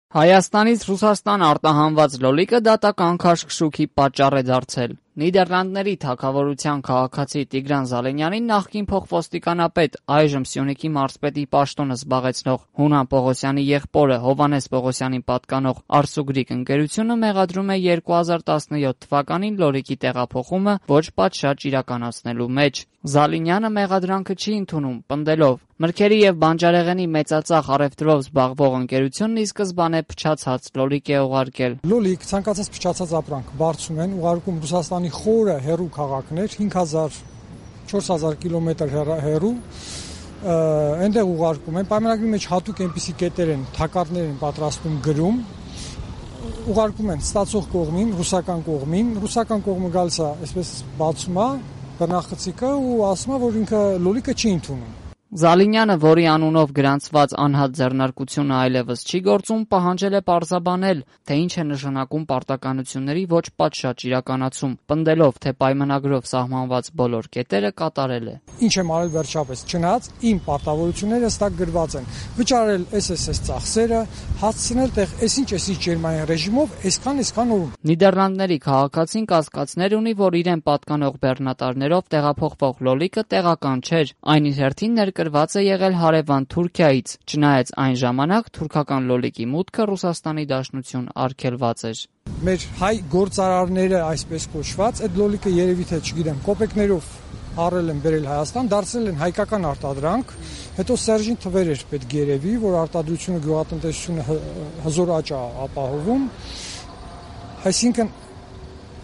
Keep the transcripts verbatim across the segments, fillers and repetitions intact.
Հայաստանից Ռուսաստան արտահանված լոլիկը դատական քաշքշուկի պատճառ է դարձել։ Նիդերլանդների թագավորության քաղաքացի Տիգրան Զալինյանին նախկին փոխոստիկանապետ, այժմ Սյունիքի մարզպետի պաշտոնը զբաղեցնող Հունան Պողոսյանի եղբորը Հովհաննես Պողոսյանին պատկանող Արսուգրիկ ընկերությունը մեղադրում է երկու հազար տասնյոթ թվականին լոլիկի տեղափոխումը ոչ պատշաճ իրականացնելու մեջ։ Զալինյանը մեղադրանքը չի ընդունում, պնդելով. «Մրգերի և բանջարեղենի մեծածախ առևտրով զբաղվող ընկերությունն ի սկզբանե փչացած լոլիկ է ուղարկել»։ Լոլիկ ցանկացած փչացած ապրանք բարձում են, ուղարկում Ռուսաստանի խորը հեռու քաղաքներ, հինգ հազար չորս հազար կիլոմետր հեռու, այնտեղ ուղարկում են, պայմանագրի մեջ հատուկ այնպիսի կետեր են, թակարդներ են պատրաստում գրում, ուղարկում են ստացող կողմին, ռուսական կողմին, ռուսական կողմը գալիս է, այսպես բացում է բռնախցիկը ու ասում է, որ ինքը լոլիկը չի ընդունում։ Զալինյանը, որի անունով գրանցված անհատ ձեռնարկությունը այլևս չի գործում, պահանջել է պարզաբանել, թե ինչ է նշանակում պարտականությունների ոչ պատշաճ իրականացում, պնդելով, թե պայմանագրով սահմանված բոլոր կետերը կատարել է։ Ինչ եմ արել վերջապես, չնայած իմ պարտավորությունները հստակ գրված են, վճարել էս էս էս ծախսերը, հասցնել տեղ այսինչ այսինչ ջերմային ռեժիմով, այսքան այսքան օրում։ Նիդերլանդների քաղաքացին կասկածներ ունի, որ իրեն պատկանող բեռնատարներով տեղափոխվող լոլիկը տեղական չէր, այն իր հերթին ներկրված է եղել հարևան Թուրքիայից, չնայած այն ժամանակ թուրքական լոլիկի մուտքը Ռուսաստանի Դաշնություն արգելված էր։ Մեր հայ գործարարները, այսպես կոչված, այդ լոլիկը երևի թե, չգիտեմ, կոպեկներով առել են բերել Հայաստան, դարձել են հայկական արտադրանք, հետո Սերժին թվեր էր պետք երևի, որ արտադրությունը, գյուղատնտեսությունը հզոր աճ է ապահովում, այսինքն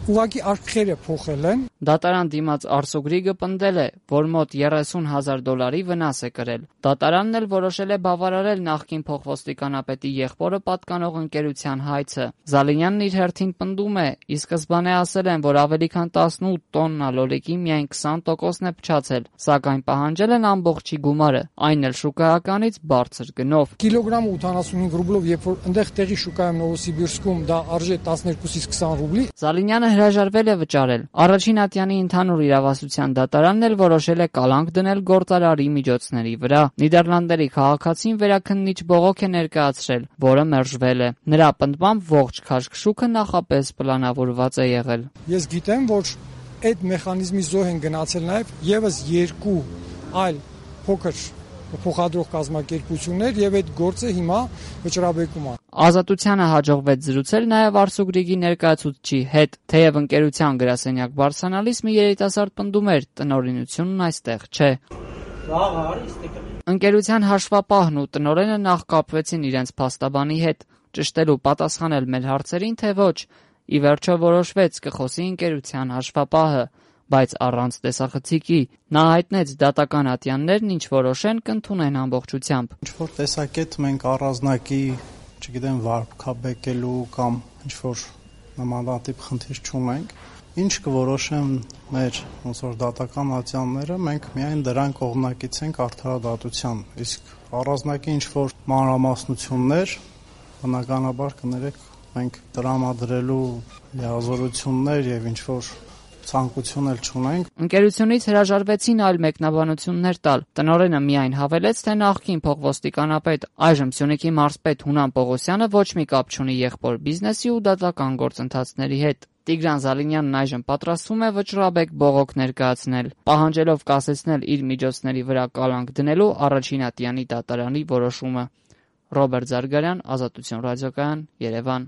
ուղղակի արքերը փոխել են։ Դատարան դիմաց Արսուգրիկը պնդել է, որ մոտ երեսուն հազար դոլարի վնաս է կրել։ Դատարանն էլ որոշել է բավարարել նախկին փոխոստիկանապետի եղբորը պատկանող ընկերության հայցը։ Զալինյանն իր հերթին պնդում է, ի սկզբանե ասել են, որ ավելի քան տասնութ տոննա լոլիկի միայն քսան տոկոսն է փչացել, սակայն պահանջել են ամբողջի գումարը, այն էլ շուկայականից բարձր գնով։ Կիլոգրամը ութանասունհինգ ռուբլով, երբ որ այնտեղ տեղի շուկայում Նովոսիբիրսկում դա արժե տասներկուսից քսան ռուբլի, Զալինյանը հրաժարվել է վճարել։ Առաջին ատյանի ընդհանուր իրավասության դատարանն էլ որոշել է կալանք դնել գործարարի միջոցների վրա։ Նիդերլանդերի քաղաքացին վերաքննիչ բողոք է ներկայացրել, որը մերժվել է։ Նրա պնդմամբ ողջ քաշքշուկը նախապես պլանավորված է եղել։ Ես գիտեմ, որ այդ մեխանիզմի զոհ են գնացել նաև եւս երկու այլ փոքր փոխադրող կազմակերպություններ եւ այդ գործը հիմա վճռաբեկում է։ Ազատությանը հաջողվեց զրուցել նաև Արսուգրիկի ներկայացուցչի հետ, թեև ընկերության գրասենյակ բարձրանալիս մի երիտասարդ պնդում էր, տնօրինությունն այստեղ չէ։ Ընկերության հաշվապահն ու տնօրենը նախ կապվեցին իրենց փաստաբանի հետ, ճշտելու պատասխանել մեր հարցերին, թե ոչ։ Ի վերջո որոշվեց կխոսի ընկերության հաշվապահը, բայց առանց տեսախցիկի։ Նա հայտնեց դատական ատյաններն ինչ որոշեն կընդունեն ամբողջությամբ։ Ինչ որ տեսակետ մենք առանձնակի, չգիտեմ, վարկաբեկելու կամ ինչ որ նմանատիպ խնդիր չունենք, ինչ կորոշեն մեր ոնց որ դատական ատյանները, մենք միայն դրան կողմնակից ենք արդարադատության, իսկ առանձնակի ինչ որ մանրամասնություններ, բնականաբար կներեք, մենք տրամադրելու լիազորություններ եւ ինչ որ ցանկություն էլ չունենք։ Ընկերությունից հրաժարվեցին այլ մեկնաբանություններ տալ։ Տնօրենը միայն հավելեց, թե նախկին փոխոստիկանապետ, այժմ Սյունիքի մարզպետ Հունան Պողոսյանը ոչ մի կապ չունի եղբոր բիզնեսի ու դատական գործընթացների հետ։ Տիգրան Զալինյանն այժմ պատրաստվում է վճռաբեկ բողոք ներկայացնել, պահանջելով կասեցնել իր միջոցների վրա կալանք դնելու առաջին ատյանի դատարանի որոշումը։ Ռոբերտ Զարգարյան, Ազատություն ռադիոկայան, Երևան։